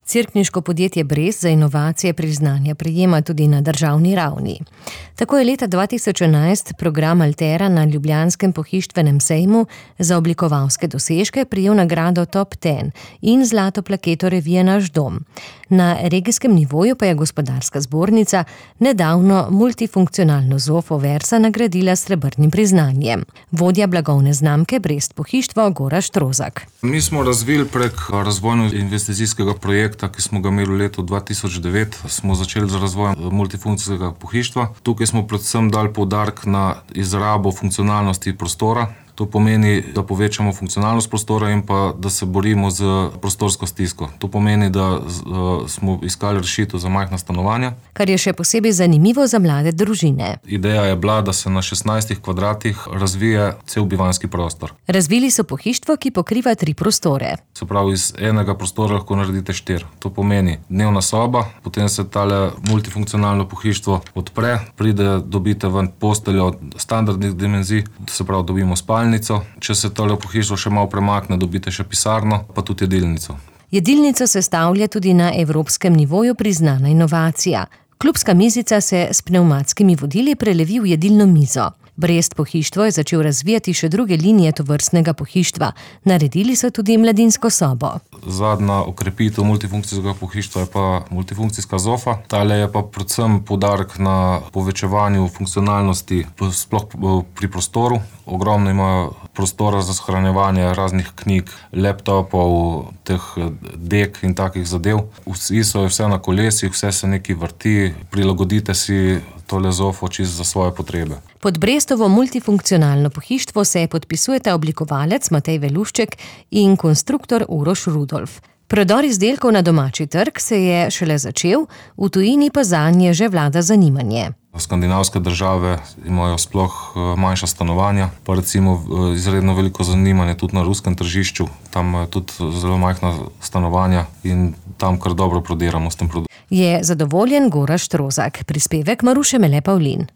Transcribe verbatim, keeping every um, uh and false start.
Cerkniško podjetje Brest za inovacije priznanja prejema tudi na državni ravni. Tako je leta dva tisoč enajst program Altera na ljubljanskem pohištvenem sejmu za oblikovalske dosežke prejel nagrado Top deset in zlato plaketo revije Naš dom. Na regijskem nivoju pa je Gospodarska zbornica nedavno multifunkcionalno zofo Versa nagradila s srebrnim priznanjem. Vodja blagovne znamke Brest pohištvo Gorazd Trozak. Mi smo razvili prek razvojno-investicijskega projekta, ki smo ga imeli v letu dva tisoč devet, smo začeli z razvojem multifunkcijskega pohištva. Tukaj smo predvsem dali poudarek na izrabo funkcionalnosti prostora. To pomeni, da povečamo funkcionalnost prostora in pa da se borimo z prostorsko stisko. To pomeni, da uh, smo iskali rešitev za majhna stanovanja. Kar je še posebej zanimivo za mlade družine. Ideja je bila, da se na šestnajstih kvadratih razvije cel bivanjski prostor. Razvili so pohištvo, ki pokriva tri prostore. Se pravi, iz enega prostora lahko naredite štiri. To pomeni dnevna soba, potem se tale multifunkcionalno pohištvo odpre, pride, dobite ven posteljo standardnih dimenzij, se pravi, dobimo spalnico. Če se tole pohištvo še malo premakne, dobite še pisarno, pa tudi jedilnico. Jedilnico sestavlja tudi na evropskem nivoju priznana inovacija. Klubska mizica se s pnevmatskimi vodili prelevi v jedilno mizo. Brest pohištvo je začel razvijati še druge linije tovrstnega pohištva. Naredili so tudi mladinsko sobo. Zadnja okrepitev multifunkcijskega pohištva je pa multifunkcijska zofa. Tale je pa predvsem poudarek na povečevanju funkcionalnosti, sploh pri prostoru. Ogromno ima prostora za shranjevanje raznih knjig, laptopov, teh dek in takih zadev. Vsi so vse na kolesih, vse se nekaj vrti, prilagodite si tole zofo čisto za svoje potrebe. Pod Brestovo multifunkcionalno pohištvo se podpisujeta oblikovalec Matej Velušček in konstruktor Uroš Rudolf. Prodor izdelkov na domači trg se je šele začel, v tujini pa zanje že vlada zanimanje. Skandinavske države imajo sploh manjša stanovanja, pa recimo izredno veliko zanimanje tudi na ruskem tržišču. Tam je tudi zelo majhna stanovanja in tam kar dobro prodiramo s tem produktom. Je zadovoljen Gorazd Trozak, prispevek Maruše Mele Pavlin.